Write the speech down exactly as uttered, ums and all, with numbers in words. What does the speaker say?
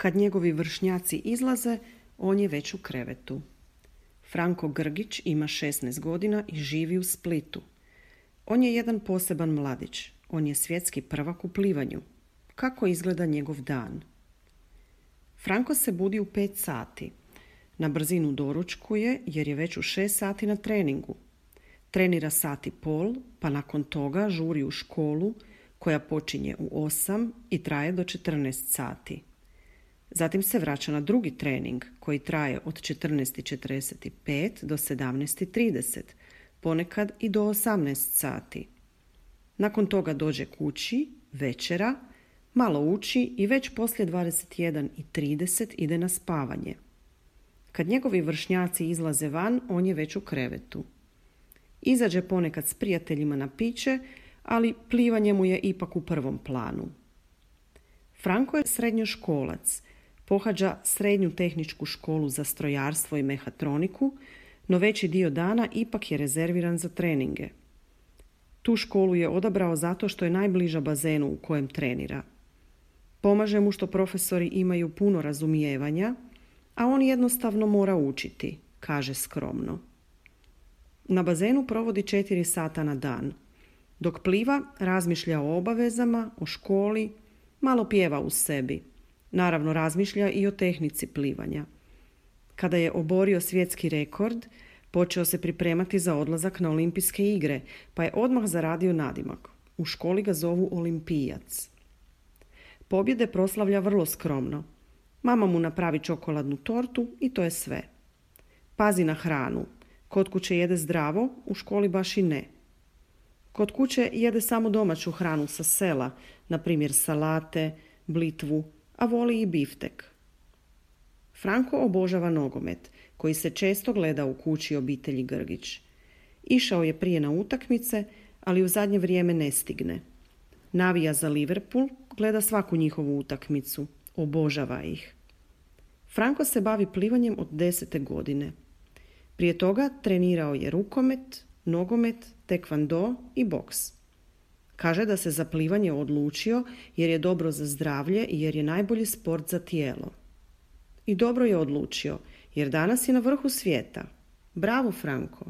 Kad njegovi vršnjaci izlaze, on je već u krevetu. Franko Grgić ima šesnaest godina i živi u Splitu. On je jedan poseban mladić. On je svjetski prvak u plivanju. Kako izgleda njegov dan? Franko se budi u pet sati. Na brzinu doručkuje jer je već u šest sati na treningu. Trenira sat i pol, pa nakon toga žuri u školu koja počinje u osam i traje do četrnaest sati. Zatim se vraća na drugi trening koji traje od četrnaest i četrdeset pet do sedamnaest i trideset, ponekad i do osamnaest sati. Nakon toga dođe kući, večera, malo uči i već poslije dvadeset jedan i trideset ide na spavanje. Kad njegovi vršnjaci izlaze van, on je već u krevetu. Izađe ponekad s prijateljima na piće, ali plivanje mu je ipak u prvom planu. Franko je srednjoškolac, pohađa srednju tehničku školu za strojarstvo i mehatroniku, no veći dio dana ipak je rezerviran za treninge. Tu školu je odabrao zato što je najbliža bazenu u kojem trenira. Pomaže mu što profesori imaju puno razumijevanja, a on jednostavno mora učiti, kaže skromno. Na bazenu provodi četiri sata na dan. Dok pliva, razmišlja o obavezama, o školi, malo pjeva u sebi. Naravno, razmišlja i o tehnici plivanja. Kada je oborio svjetski rekord, počeo se pripremati za odlazak na olimpijske igre, pa je odmah zaradio nadimak. U školi ga zovu olimpijac. Pobjede proslavlja vrlo skromno. Mama mu napravi čokoladnu tortu i to je sve. Pazi na hranu. Kod kuće jede zdravo, u školi baš i ne. Kod kuće jede samo domaću hranu sa sela, na primjer salate, blitvu, a voli i biftek. Franko obožava nogomet, koji se često gleda u kući obitelji Grgić. Išao je prije na utakmice, ali u zadnje vrijeme ne stigne. Navija za Liverpool, gleda svaku njihovu utakmicu, obožava ih. Franko se bavi plivanjem od desete godine. Prije toga trenirao je rukomet, nogomet, tekvando i boks. Kaže da se za plivanje odlučio jer je dobro za zdravlje i jer je najbolji sport za tijelo. I dobro je odlučio jer danas je na vrhu svijeta. Bravo, Franko!